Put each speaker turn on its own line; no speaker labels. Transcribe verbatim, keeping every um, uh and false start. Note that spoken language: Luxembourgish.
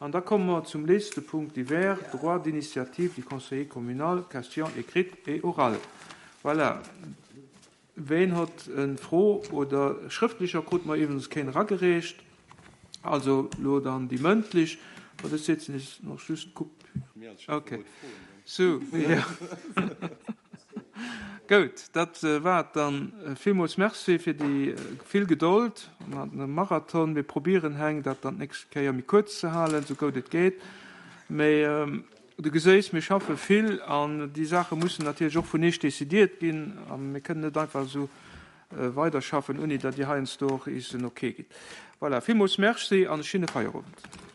An da komme mer zum letzte Punkt divers, droit d'initiative du conseiller communal, question écrite et orale. Voilà. Ween huet eng Fro oder schrëftlecher krute mer iwwregens keen eragereecht. Also lo dann déi mëndlech. Oder setzen ech nach just kuck. Okay. So, ja. Gutt, dat war dann. Villmools Merci fir déi vill Gedold. Mir haten e Marathon. Mir probéieren heng dat dann d'nächst Kéier méi kuerz ze halen, sou gutt et geet. Mee du geséis, mir schaffe vill an déi Saache mussen natierlech och vun iech decidéiert ginn a mir kënnen net einfach sou weiderschaffen, ouni datt dir heiansdo och eis en Okay gitt. Voilà, villmools Merci an e schéine Feierowend.